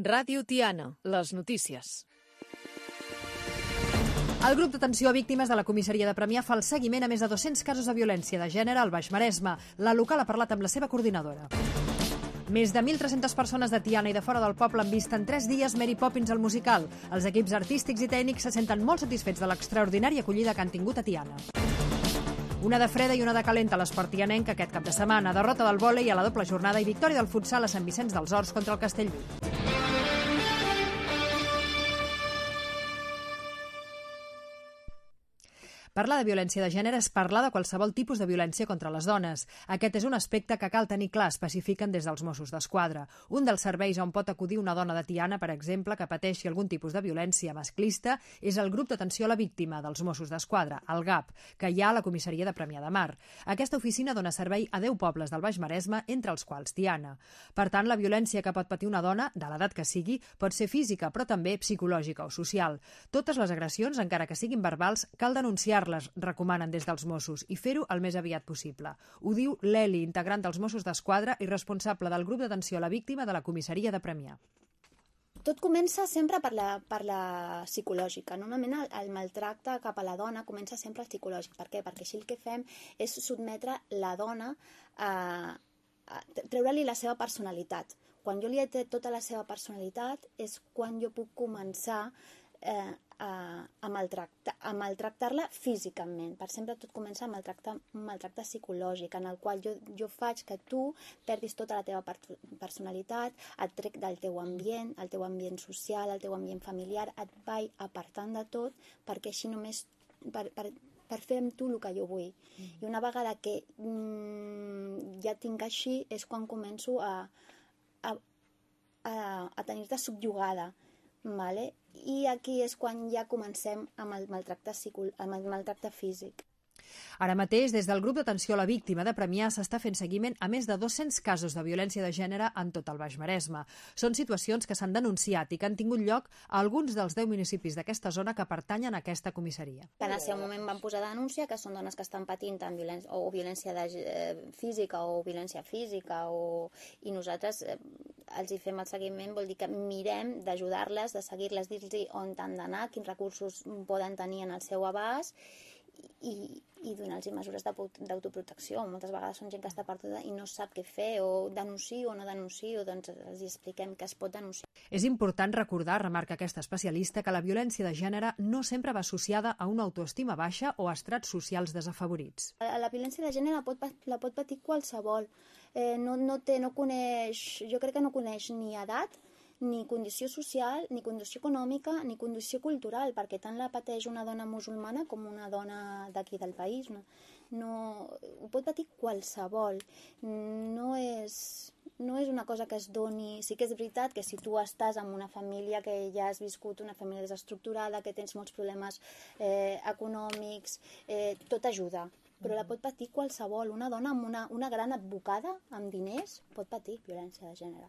Ràdio Tiana, les notícies. El grup d'atenció a víctimes de la comissaria de Premià fa el seguiment a més de 200 casos de violència de gènere al Baix Maresme. La local ha parlat amb la seva coordinadora. Més de 1.300 persones de Tiana i de fora del poble han vist en 3 dies Mary Poppins al musical. Els equips artístics i tècnics se senten molt satisfets de l'extraordinària acollida que han tingut a Tiana. Una de freda i una de calenta a l'esport tianenc aquest cap de setmana. Derrota del vòlei a la doble jornada i victòria del futsal a Sant Vicenç dels Horts contra el Castellví. Parlar de violència de gènere és parlar de qualsevol tipus de violència contra les dones. Aquest és un aspecte que cal tenir clar, especifiquen des dels Mossos d'Esquadra. Un dels serveis on pot acudir una dona de Tiana, per exemple, que pateixi algun tipus de violència masclista, és el grup d'atenció a la víctima dels Mossos d'Esquadra, el GAP, que hi ha a la comissaria de Premià de Mar. Aquesta oficina dona servei a 10 pobles del Baix Maresme, entre els quals Tiana. Per tant, la violència que pot patir una dona, de l'edat que sigui, pot ser física, però també psicològica o social. Totes les agressions, encara que siguin verbals, cal denunciar-les, recomanen des dels Mossos, i fer-ho el més aviat possible. Ho diu l'Eli, integrant dels Mossos d'Esquadra i responsable del grup d'atenció a la víctima de la comissaria de Premià. Tot comença sempre per la psicològica. Normalment el maltracte cap a la dona comença sempre psicològic. Per què? Perquè així el que fem és sotmetre la dona a treure-li la seva personalitat. Quan jo li he tret tota la seva personalitat és quan jo puc començar a maltractar-la físicament. Per sempre tot comença amb un maltracte psicològic, en el qual jo faig que tu perdis tota la teva personalitat, et trec del teu ambient, el teu ambient social, el teu ambient familiar, et vaig apartant de tot, perquè així només per fer amb tu el que jo vull. I una vegada que ja tinc així és quan començo a tenir-te subjugada. Vale? I aquí és quan ja comencem amb el maltracte físic. Ara mateix, des del grup d'atenció a la víctima de Premià s'està fent seguiment a més de 200 casos de violència de gènere en tot el Baix Maresme. Són situacions que s'han denunciat i que han tingut lloc a alguns dels 10 municipis d'aquesta zona que pertanyen a aquesta comissaria. En el seu moment van posar denúncia que són dones que estan patint violència física o violència física i nosaltres els hi fem el seguiment, vol dir que mirem d'ajudar-les, de seguir-les, dir-los on han d'anar, quins recursos poden tenir en el seu abast i donar-los mesures d'autoprotecció. Moltes vegades són gent que està perduda i no sap què fer, o denuncio o no denuncio, doncs els expliquem que es pot denunciar. És important recordar, remarca aquesta especialista, que la violència de gènere no sempre va associada a una autoestima baixa o a estrats socials desafavorits. La violència de gènere la pot patir qualsevol. Jo crec que no coneix ni edat, ni condició social, ni condició econòmica, ni condició cultural, perquè tant la pateix una dona musulmana com una dona d'aquí del país. Ho pot patir qualsevol. No és una cosa que es doni. Sí que és veritat que si tu estàs en una família que ja has viscut, una família desestructurada, que tens molts problemes econòmics, tot ajuda. Però la pot patir qualsevol. Una dona amb una gran advocada, amb diners, pot patir violència de gènere.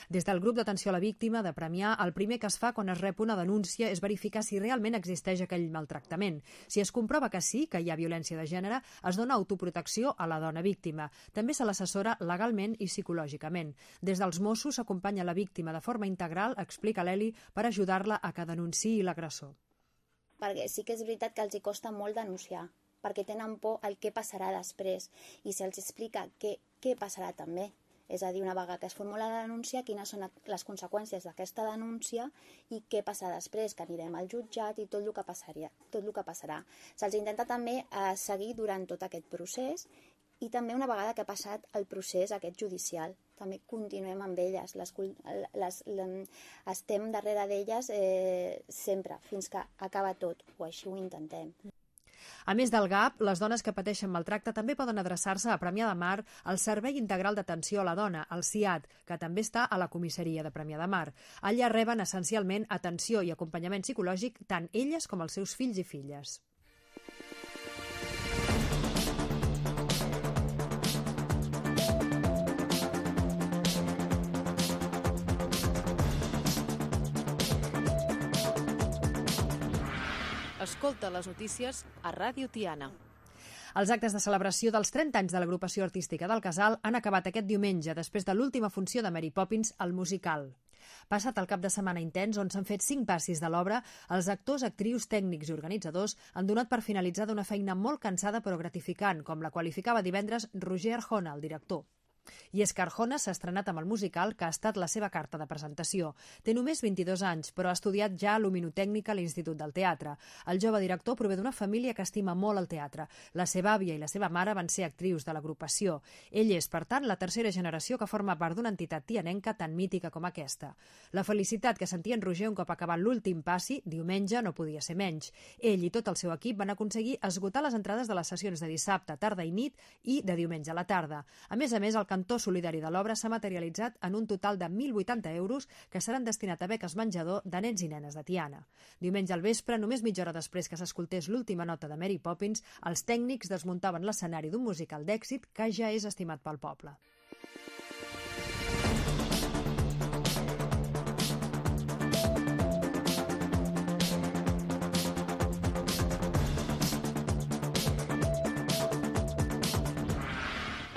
Des del grup d'atenció a la víctima de Premià, el primer que es fa quan es rep una denúncia és verificar si realment existeix aquell maltractament. Si es comprova que sí, que hi ha violència de gènere, es dona autoprotecció a la dona víctima. També se l'assessora legalment i psicològicament. Des dels Mossos s'acompanya la víctima de forma integral, explica l'Eli, per ajudar-la a que denunciï l'agressor. Perquè sí que és veritat que els hi costa molt denunciar, perquè tenen por al què passarà després, i se'ls explica què passarà també. És a dir, una vegada que es formula la denúncia, quines són les conseqüències d'aquesta denúncia i què passarà després, que anirem al jutjat i tot el que passarà. Se'ls intenta també seguir durant tot aquest procés i també una vegada que ha passat el procés aquest judicial. També continuem amb elles, estem darrere d'elles sempre, fins que acaba tot, o així ho intentem. A més del GAP, les dones que pateixen maltracte també poden adreçar-se a Premià de Mar al Servei Integral d'Atenció a la Dona, el CIAD, que també està a la comissaria de Premià de Mar. Allà reben essencialment atenció i acompanyament psicològic tant elles com els seus fills i filles. Escolta les notícies a Ràdio Tiana. Els actes de celebració dels 30 anys de l'agrupació artística del Casal han acabat aquest diumenge, després de l'última funció de Mary Poppins al musical. Passat el cap de setmana intens, on s'han fet 5 passis de l'obra, els actors, actrius, tècnics i organitzadors han donat per finalitzada una feina molt cansada però gratificant, com la qualificava divendres Roger Arjona, el director. I és que Arjona s'ha estrenat amb el musical que ha estat la seva carta de presentació. Té només 22 anys, però ha estudiat ja luminotècnica a l'Institut del Teatre. El jove director prové d'una família que estima molt el teatre. La seva àvia i la seva mare van ser actrius de l'agrupació. Ell és, per tant, la tercera generació que forma part d'una entitat tianenca tan mítica com aquesta. La felicitat que sentia en Roger un cop acabat l'últim passi, diumenge, no podia ser menys. Ell i tot el seu equip van aconseguir esgotar les entrades de les sessions de dissabte, tarda i nit i de diumenge a la tarda. A més, el cantó solidari de l'obra s'ha materialitzat en un total de 1.080 euros que seran destinats a beques menjador de nens i nenes de Tiana. Diumenge al vespre, només mitja hora després que s'escoltés l'última nota de Mary Poppins, els tècnics desmuntaven l'escenari d'un musical d'èxit que ja és estimat pel poble.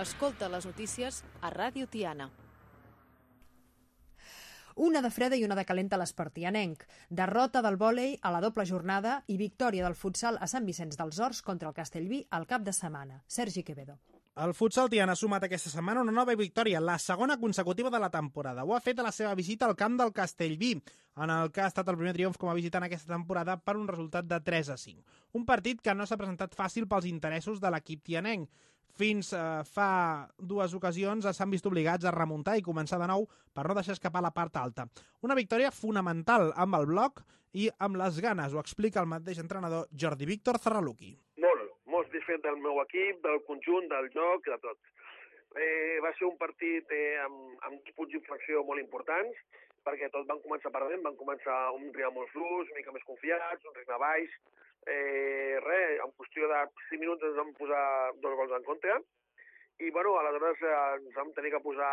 Escolta les notícies a Ràdio Tiana. Una de freda i una de calenta a l'espartianenc. Derrota del vòlei a la doble jornada i victòria del futsal a Sant Vicenç dels Horts contra el Castellví al cap de setmana. Sergi Quevedo. El futsal tiana ha sumat aquesta setmana una nova victòria, la segona consecutiva de la temporada. Ho ha fet a la seva visita al camp del Castellví, en el que ha estat el primer triomf com a visitant aquesta temporada per un resultat de 3-5. Un partit que no s'ha presentat fàcil pels interessos de l'equip tianenc. Fins fa 2 ocasions s'han vist obligats a remuntar i començar de nou per no deixar escapar la part alta. Una victòria fonamental amb el bloc i amb les ganes, ho explica el mateix entrenador Jordi Víctor Zarraluki. Molt satisfet del meu equip, del conjunt, del joc, de tot. Va ser un partit amb punts d'inflexió molt importants, perquè tots van començar perdent, van començar un rival molt fluix, una mica més confiats, un ritme baix. En qüestió de 5 minuts ens vam posar 2 gols en contra, i aleshores ens vam tenir que posar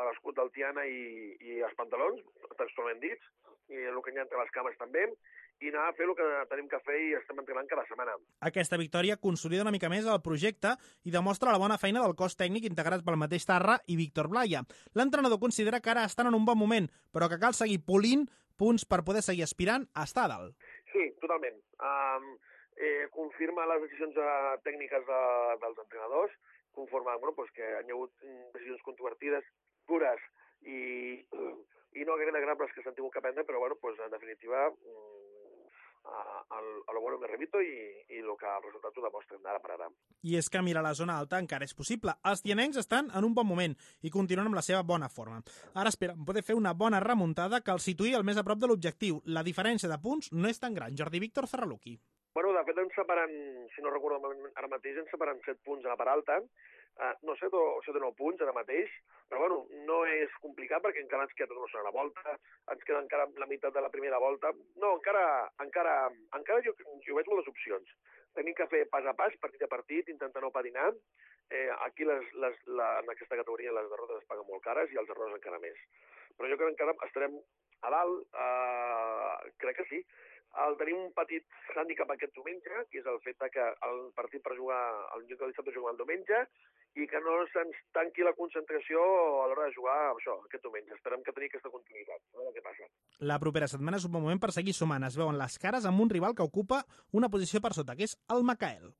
l'escut del Tiana i els pantalons, textualment dits, i el que hi ha entre les cames també, i anar a fer el que tenim que fer i estem entrenant cada setmana. Aquesta victòria consolida una mica més el projecte i demostra la bona feina del cos tècnic integrat pel mateix Tarra i Víctor Blaya. L'entrenador considera que ara estan en un bon moment, però que cal seguir polint punts per poder seguir aspirant a estar a dalt. Sí, totalment. Confirma les decisions tècniques dels entrenadors, conforme que hi ha hagut decisions controvertides, dures i no agradables que s'han tingut que prendre, però en definitiva a lo bueno me remito i el que el resultat ho demostren ara per ara. I és que mirar la zona alta encara és possible. Els tianencs estan en un bon moment i continuen amb la seva bona forma. Ara esperen poder fer una bona remuntada que els situï el més a prop de l'objectiu. La diferència de punts no és tan gran. Jordi Víctor Zarraluki. De fet, ens separen, si no recordo ara mateix, ens separen 7 punts a la part alta, no 7 o 9 punts ara mateix, però no és complicat perquè encara ens queda una segona volta, ens queda encara la meitat de la primera volta. No, encara jo veig moltes opcions. Tenim que fer pas a pas, partit a partit, intentar no patinar. Aquí en aquesta categoria les derrotes es paguen molt cares i els errors encara més. Però jo crec que encara estarem a dalt, crec que sí. Tenim un petit hàndicap aquest diumenge, que és el fet que el partit per jugar el lloc del dissabte jugar el diumenge i que no se'ns tanqui la concentració a l'hora de jugar aquest diumenge. Esperem que tenir aquesta continuïtat. A veure què passa. La propera setmana és un bon moment per seguir sumant. Es veuen les cares amb un rival que ocupa una posició per sota, que és el Macael.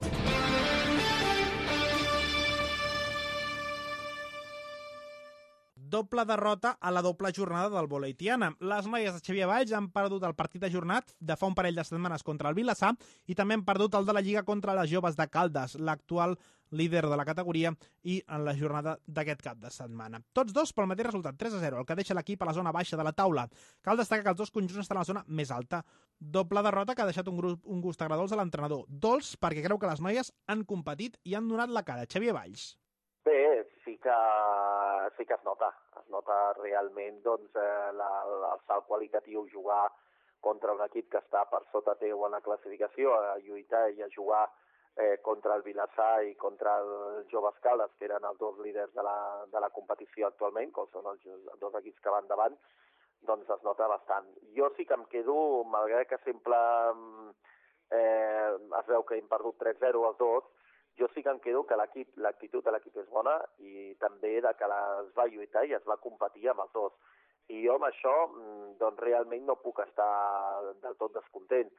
Doble derrota a la doble jornada del vòlei tiana. Les noies de Xavier Valls han perdut el partit ajornat de fa un parell de setmanes contra el Vilassar i també han perdut el de la Lliga contra les joves de Caldes, l'actual líder de la categoria, i en la jornada d'aquest cap de setmana. Tots dos pel mateix resultat, 3-0, el que deixa l'equip a la zona baixa de la taula. Cal destacar que els dos conjunts estan a la zona més alta. Doble derrota que ha deixat un gust agradós a l'entrenador. Dolç perquè creu que les noies han competit i han donat la cara. Xavier Valls. Bé, sí que es nota. Es nota realment el salt qualitatiu, jugar contra un equip que està per sota teu en la classificació, a lluitar i a jugar contra el Vilassar i contra els Joves Caldes, que eren els dos líders de la competició actualment, que són els dos equips que van davant, doncs es nota bastant. Jo sí que em quedo, malgrat que sempre es veu que hem perdut 3-0 els dos, jo sí que em quedo que l'actitud de l'equip és bona i també que es va lluitar i es va competir amb els dos. I jo amb això doncs realment no puc estar del tot descontent.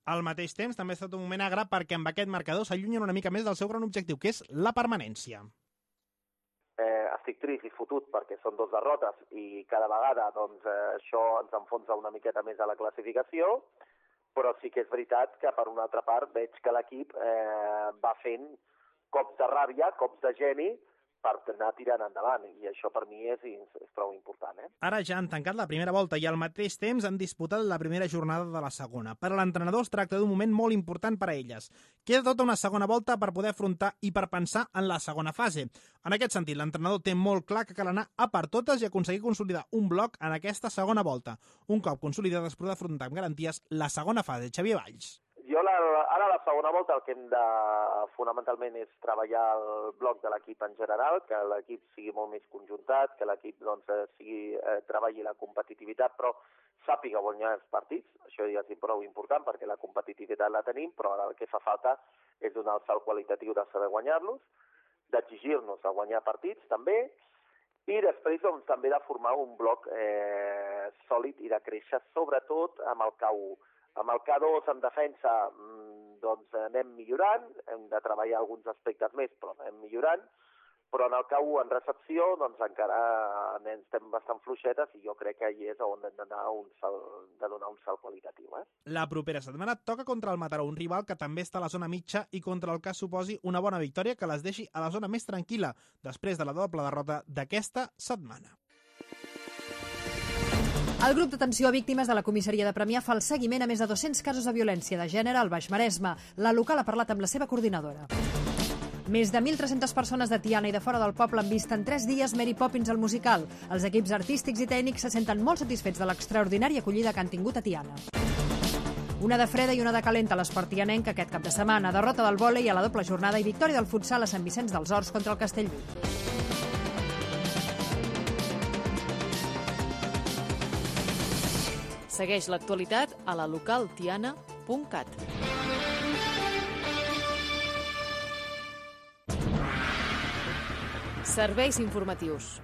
Al mateix temps, també ha estat un moment agre perquè amb aquest marcador s'allunyen una mica més del seu gran objectiu, que és la permanència. Estic trist i fotut perquè són 2 derrotes i cada vegada doncs, això ens enfonsa una miqueta més a la classificació, però sí que és veritat que per una altra part veig que l'equip va fent cops de ràbia, cops de geni, per anar tirant endavant, i això per mi és prou important. Ara ja han tancat la primera volta i al mateix temps han disputat la primera jornada de la segona. Per a l'entrenador es tracta d'un moment molt important per a elles. Queda tota una segona volta per poder afrontar i per pensar en la segona fase. En aquest sentit, l'entrenador té molt clar que cal anar a per totes i aconseguir consolidar un bloc en aquesta segona volta. Un cop consolidat es podrà afrontar amb garanties la segona fase. Xavier Valls. Jo ara a la segona volta el que hem de fonamentalment és treballar el bloc de l'equip en general, que l'equip sigui molt més conjuntat, que l'equip doncs, treballi la competitivitat, però sàpiga guanyar els partits. Això ja és prou important perquè la competitivitat la tenim, però ara el que fa falta és donar el salt qualitatiu de saber guanyar-los, d'exigir-nos a guanyar partits també, i després doncs, també de formar un bloc sòlid i de créixer, sobretot amb el K1. Amb el K2 en defensa doncs anem millorant, hem de treballar alguns aspectes més, però anem millorant, però en el K1 en recepció doncs encara estem bastant fluixetes i jo crec que allà és on hem de donar un salt qualitatiu. La propera setmana toca contra el Mataró, un rival que també està a la zona mitja i contra el que suposi una bona victòria que les deixi a la zona més tranquil·la després de la doble derrota d'aquesta setmana. El grup d'atenció a víctimes de la comissaria de Premià fa el seguiment a més de 200 casos de violència de gènere al Baix Maresme. La local ha parlat amb la seva coordinadora. Més de 1.300 persones de Tiana i de fora del poble han vist en 3 dies Mary Poppins al musical. Els equips artístics i tècnics se senten molt satisfets de l'extraordinària acollida que han tingut a Tiana. Una de freda i una de calenta a l'esport tianenc aquest cap de setmana. Derrota del vòlei a la doble jornada i victòria del futsal a Sant Vicenç dels Horts contra el Castellví. Segueix l'actualitat a la localtiana.cat. Serveis informatius.